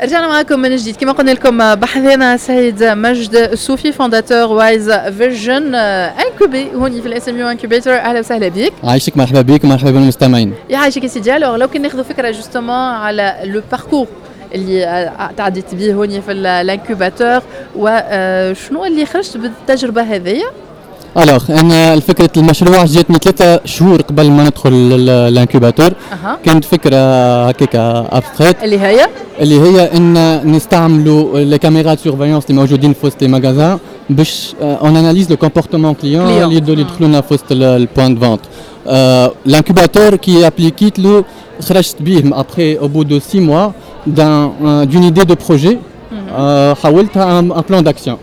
رجعنا معكم من جديد. كما قلنا لكم، بحذانا سيد مجد الصوفي، fondateur Wise Vision، incubé هوني في ال SMU Incubator. اهلا وسهلا بك. عايشك، مرحبا بك ومرحبا بالمستمعين. يعيشك يا سيدي. alors لو كان ناخذ فكرة justement على le parcours اللي تعديت به هوني في l'incubateur وشنو اللي خرجت بالتجربة هذه؟ alors انا فكرة المشروع جاتني 3 شهور قبل ما ندخل l'incubateur. كانت فكرة هكاك abstraite. اللي هي؟ اللي هي ان نستعملوا les caméras surveillance اللي موجودين في وسط les magasins باش on analyse le comportement client اللي يدخلوا لنا في وسط ال point de vente. l'incubateur كي appliquيت له، خرجت به après au bout de 6 mois d'une idée de projet، حولتها un plan d'action.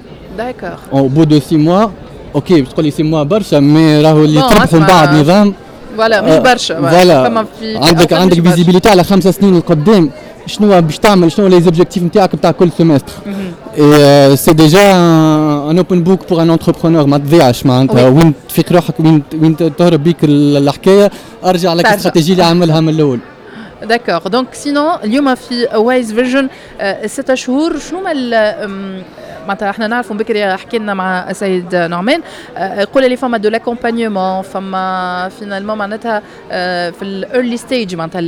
Au bout de 6 mois، OK، باش تقول لي 6 mois برشا، mais راهو اللي تربحوا من بعد نظام. voilà، مش برشا. voilà، عندك visibilité على 5 سنين القدام، شنو باش تعمل، شنو les objectifs نتاعك نتاع كل semestre. et c'est déjà un open book pour un entrepreneur، ما تضيعش معناتها. وين تفيق روحك، وين تهرب بيك الحكايه، ارجع لك الاستراتيجية اللي عاملها من الاول. d'accord. donc sinon اليوم في Wise Vision 6 شهور، شنو ما معناتها احنا نعرفوا، بكري حكينا مع السيد نعمان، يقول لي فما de l'accompagnement، فما finalement معناتها في ال early stage، معناتها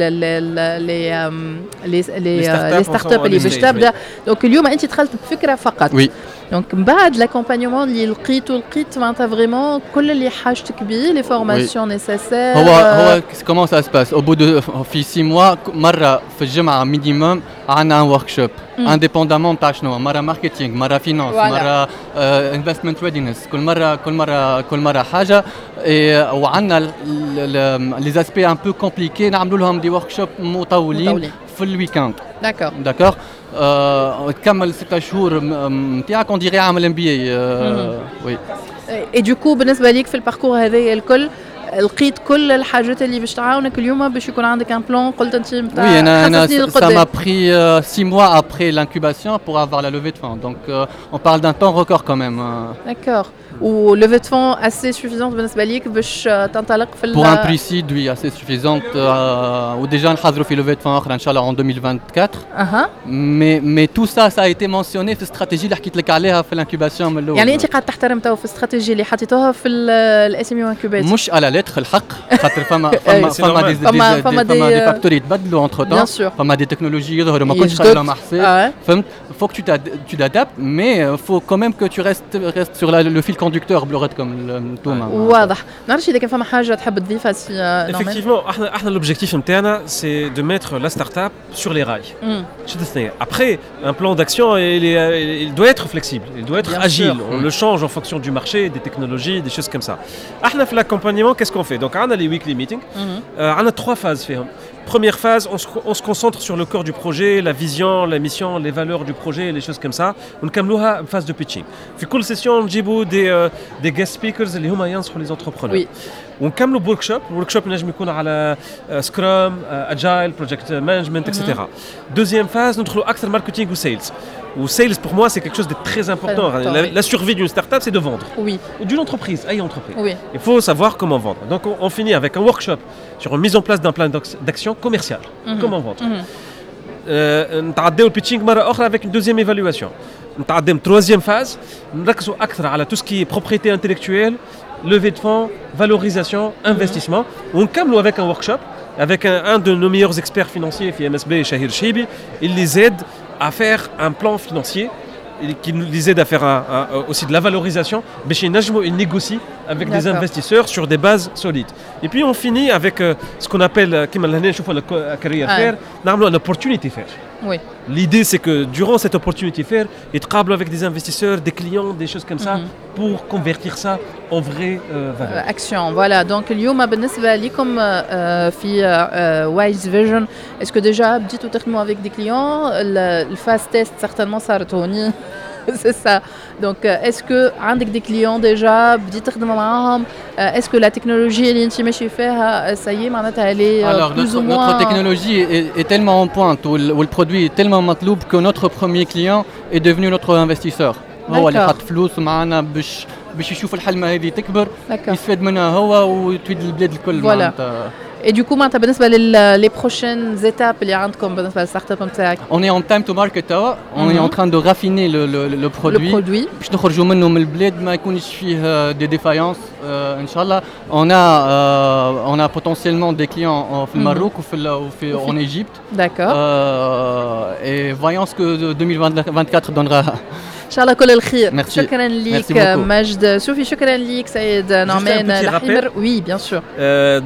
les startups اللي باش تبدا. donc اليوم انت دخلت بفكره فقط. oui. donc من بعد l'accompagnement اللي لقيتو، لقيت معناتها vraiment كل اللي حاجتك بيه، les formations nécessaires؟ هو comment ça se passe، au bout de في 6 mois، مرة في الجمعة minimum عندنا un workshop، indépendamment تاع شنو، مرة marketing، مرة finance، مرة investment readiness، كل مرة كل مرة كل مرة حاجه. وعندنا les aspects un peu compliqués نعملوا لهم des workshops مطولين في ال week-end. d'accord. d'accord، تكمل 6 شهور نتاعك on dirait عامل MBA، oui. et du coup بالنسبة ليك في ال parcours هذايا الكل، لقيت كل الحاجات اللي باش تعاونك اليوم باش يكون عندك un plan، قلت انت؟ نتاع oui، انا ça m'a pris 6 mois après l'incubation pour avoir la levée de fonds. Donc on parle d'un temps record quand même. D'accord. و levée de fonds assez suffisante بالنسبة ليك باش تنطلق في Pour un pre-seed، oui، assez suffisante. و déjà نحضروا في levée de fonds اخرى ان شاء الله en 2024. Mais tout ça، ça a été mentionné في الاستراتيجية اللي حكيت لك عليها في l'incubation من الاول. يعني انت قاعد تحترم تو في الاستراتيجية اللي حطيتوها في ال SMU Incubator؟ مش à la lettre الحق، خاطر فما des فما des facteurs يتبدلوا entre-temps، فما des technologies يظهروا ما كنتش لهم حساب، فهمت؟ faut que tu t'adaptes، mais faut quand même que tu restes sur le fil conducteur بلغتكم انتوما. واضح. نعرفش اذا كان فما حاجة تحب تضيفها سي؟ Effectivement، احنا l'objectif نتاعنا c'est de mettre la start-up sur les rails. Après، un plan d'action، il doit être flexible، il doit être agile. On le change en fonction du marché، des technologies، des choses comme ça. احنا في l'accompagnement، qu'est-ce qu'on fait؟ Donc on a les weekly meetings، on a trois phases فيهم. Première phase، on se concentre sur le cœur du projet، la vision، la mission، les valeurs du projet، les choses comme ça. ونكملوها phase de pitching. في كل session نجيبوا des guest speakers اللي هما ينصحوا les entrepreneurs. ونكملوا ب workshop، ال workshop نجم يكون على Scrum، agile، project management، et cetera. deuxième phase، ندخلوا اكثر marketing و sales. و sales، pour moi، c'est quelque chose de très important. La survie d'une startup، c'est de vendre. Ou d'une entreprise، أي entreprise. Il faut savoir comment vendre. Donc on finit avec un workshop sur une mise en place d'un plan d'action commercial. Comment vendre. نتعداو ال pitching مرة اخرى avec une deuxième évaluation. نتعداو troisième phase، نركزوا اكثر على tout ce qui est propriété intellectuelle، levée de fonds، valorisation، investissement. ونكملوا avec un workshop avec un de nos meilleurs experts financiers في MSB، Shahir Chibi، il les aide à faire un plan financier et qui nous les aide à faire aussi de la valorisation باش ينجموا ils négocient avec des investisseurs sur des bases solides. Et puis on finit avec ce qu'on appelle، كيما لهنا نشوفوا career fair، نعملوا une opportunity fair. L'idée، c'est que durant cette opportunity fair، يتقابلوا avec des investisseurs، des clients، des choses comme ça، pour convertir ça en vraie valeur. action، voilà. donc اليوم بالنسبة لكم في Wise Vision، est-ce que déjà بديتوا تخدموا avec des clients؟ ال phase test certainement صارت هوني، c'est ça. donc est-ce que عندك des clients déjà بديت تخدم معاهم؟ est-ce que la technologie اللي انت ماشي فيها ça y est معناتها elle est Alors, plus notre, ou moins notre technologie est tellement en pointe ou le produit est tellement مطلوب que notre premier client est devenu notre investisseur. هو اللي حط فلوس معنا باش يشوف الحلمة هذه تكبر، يستفاد منها هو وتفيد البلاد الكل. voilà. معناتها. Et Et du coup معناتها بالنسبه لل les prochaines étapes اللي عندكم بالنسبه لل startup نتاعك؟ On est en time to market توا, on est en train de raffiner le produit. Le produit. باش نخرجوا منه من البلاد ما يكونش فيه des défaillances ان شاء الله. On a potentiellement des clients في المروك وفي en Égypte. Et voyons ce que 2024 donnera. ان شاء الله كل الخير. Merci. شكرا لك مجد سوفي, شكرا لك سيد نعمان الحمر. Oui, bien sûr.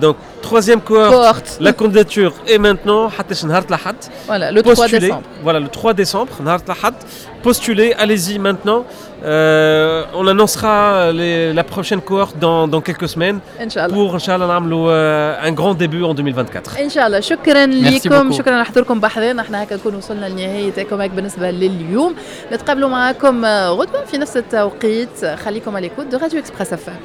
Donc troisième cohorte, la candidature est maintenant حتى نهار الأحد. Voilà, le 3 décembre. Voilà, le 3 décembre, نهار الأحد. Postulez, allez-y maintenant. On annoncera la prochaine cohorte dans quelques semaines. إن شاء الله. Pour إن شاء الله نعملوا un grand début en 2024. إن شاء الله. شكرا لكم, شكرا على حضوركم بحذانا. احنا هكا نكون وصلنا لنهاية Ecomag بالنسبة لليوم. نتقابلوا معكم غدوة في نفس التوقيت. خليكم à l'écoute de Radio Express FM.